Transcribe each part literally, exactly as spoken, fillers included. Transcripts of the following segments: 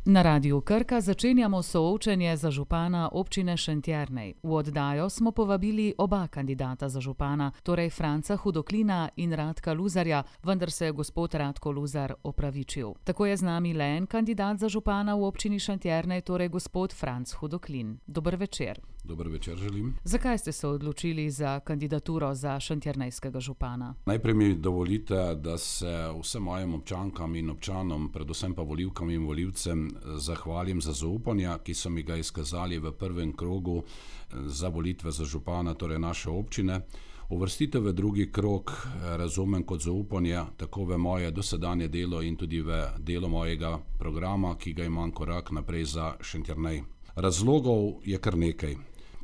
Na Radiu Krka začenjamo soočenje za župana občine Šentjernej. V oddajo smo povabili oba kandidata za župana, torej Franca Hudoklina in Radka Luzarja, vendar se je gospod Radko Luzar opravičil. Tako je z nami le en kandidat za župana v občini Šentjernej, torej gospod Franc Hudoklin. Dober večer. Dober večer želim. Zakaj ste se odločili za kandidaturo za šentjernejskega župana? Najprej mi dovolite, da se vsem mojim občankam in občanom, predvsem pa volivkam in volivcem, zahvalim za zaupanje, ki so mi ga izkazali v prvem krogu za volitve za župana, torej naše občine. Uvrstitev v drugi krog razumem kot zaupanje tako v moje dosedanje delo in tudi v delo mojega programa, ki ga imam korak naprej za Šentjernej. Razlogov je kar nekaj.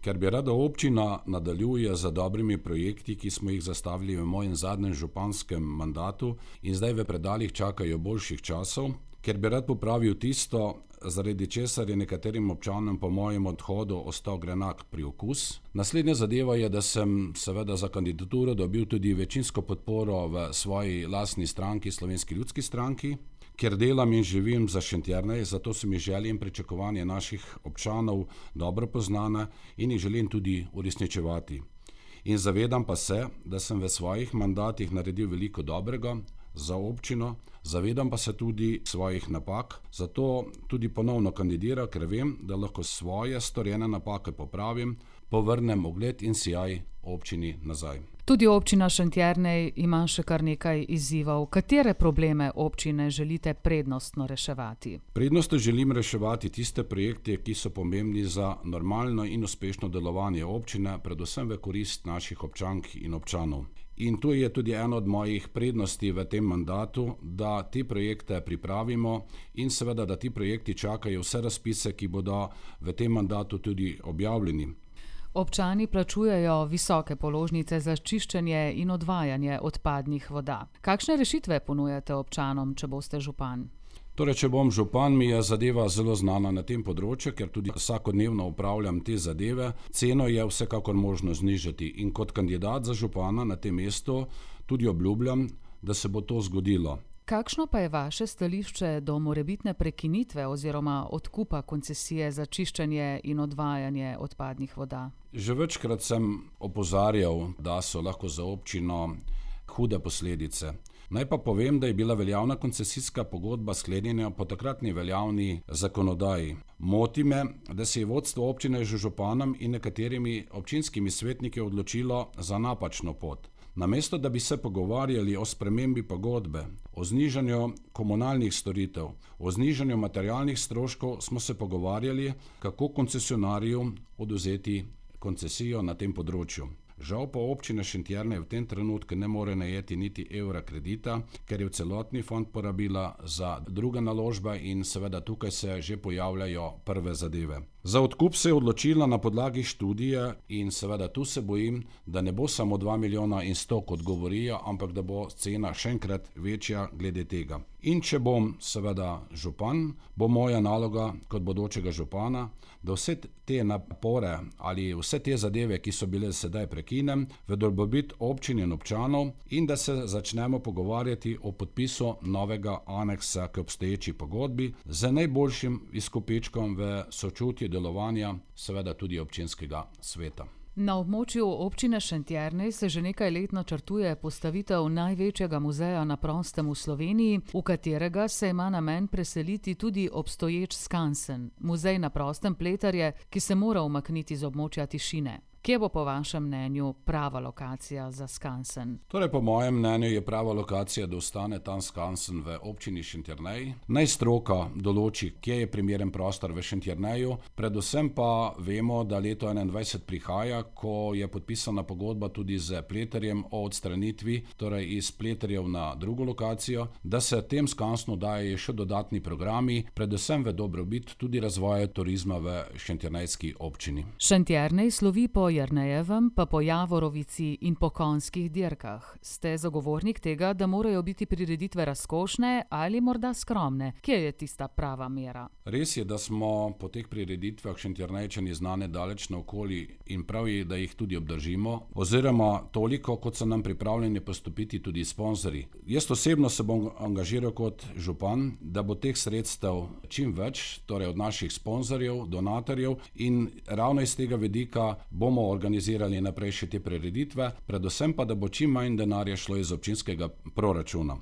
Ker bi rada občina nadaljuje za dobrimi projekti, ki smo jih zastavili v mojem zadnjem županskem mandatu in zdaj v predalih čakajo boljših časov, ker bi rad popravil tisto, zaradi česar je nekaterim občanom po mojem odhodu ostal grenak priokus. Naslednja zadeva je, da sem seveda za kandidaturo dobil tudi večinsko podporo v svoji lastni stranki, Slovenski ljudski stranki, ker delam in živim za Šentjernej, zato so mi želje in pričakovanje naših občanov dobro poznane in jih želim tudi uresničevati. In zavedam pa se, da sem v svojih mandatih naredil veliko dobrega za občino, zavedam pa se tudi svojih napak, zato tudi ponovno kandidiram, ker vem, da lahko svoje storjene napake popravim, povrnem ugled in sijaj občini nazaj. Tudi občina Šentjernej ima še kar nekaj izzivov. Katere probleme občine želite prednostno reševati? Prednostno želim reševati tiste projekte, ki so pomembni za normalno in uspešno delovanje občine, predvsem v korist naših občank in občanov. In to je tudi ena od mojih prednosti v tem mandatu, da te projekte pripravimo in seveda, da ti projekti čakajo vse razpise, ki bodo v tem mandatu tudi objavljeni. Občani plačujejo visoke položnice za čiščenje in odvajanje odpadnih voda. Kakšne rešitve ponujate občanom, če boste župan? Torej, če bom župan, mi je zadeva zelo znana na tem področju, ker tudi vsakodnevno upravljam te zadeve. Ceno je vsekakor možno znižati in kot kandidat za župana na tem mestu tudi obljubljam, da se bo to zgodilo. Kakšno pa je vaše stališče do morebitne prekinitve oziroma odkupa koncesije za čiščenje in odvajanje odpadnih voda? Že večkrat sem opozarjal, da so lahko za občino hude posledice. Naj pa povem, da je bila veljavna koncesijska pogodba sklenjena po takratni veljavni zakonodaji. Moti me, da se je vodstvo občine z županom in nekaterimi občinskimi svetniki odločilo za napačno pot. Namesto da bi se pogovarjali o spremembi pogodbe, o znižanju komunalnih storitev, o znižanju materialnih stroškov, smo se pogovarjali, kako koncesionarju odvzeti koncesijo na tem področju. Žal pa občina Šentjernej v tem trenutku ne more najeti niti evra kredita, ker je v celotni fond porabila za druge naložbe in seveda tukaj se že pojavljajo prve zadeve. Za odkup se je odločila na podlagi študije in seveda tu se bojim, da ne bo samo dva milijona in sto, kot govorijo, ampak da bo cena še enkrat večja glede tega. In če bom seveda župan, bo moja naloga kot bodočega župana, da vse te napore ali vse te zadeve, ki so bile sedaj prekinem, v dobrobit občin in občanov in da se začnemo pogovarjati o podpisu novega aneksa k obstoječi pogodbi z najboljšim izkupičkom v sočutju delovanja, seveda tudi občinskega sveta. Na območju občine Šentjernej se že nekaj let načrtuje postavitev največjega muzeja na prostem v Sloveniji, v katerega se ima namen preseliti tudi obstoječ skansen, muzej na prostem Pleterje, ki se mora umakniti z območja Tišine. Kje bo po vašem mnenju prava lokacija za skansen? Torej, po mojem mnenju je prava lokacija, da ostane tam skansen v občini Šentjernej. Naj stroka določi, kje je primeren prostor v Šentjerneju. Predvsem pa vemo, da leto enaindvajset prihaja, ko je podpisana pogodba tudi z Pleterjem o odstranitvi, torej iz Pleterjev na drugo lokacijo, da se tem skansnu daje še dodatni programi, predvsem v dobrobit tudi razvoja turizma v šentjernejski občini. Šentjernej slovi po Jernejevem pa po Javorovici in po konjskih dirkah. Ste zagovornik tega, da morajo biti prireditve razkošne ali morda skromne? Kje je tista prava mera? Res je, da smo po teh prireditvah Šentjernejčani znane daleč naokoli in prav je, da jih tudi obdržimo, oziroma toliko, kot so nam pripravljeni postopiti tudi sponzorji. Jaz osebno se bom angažiral kot župan, da bo teh sredstev čim več, torej od naših sponzorjev, donatorjev, in ravno iz tega vidika bomo organizirali naprej še te prireditve, predvsem pa, da bo čim manj denarja šlo iz občinskega proračuna.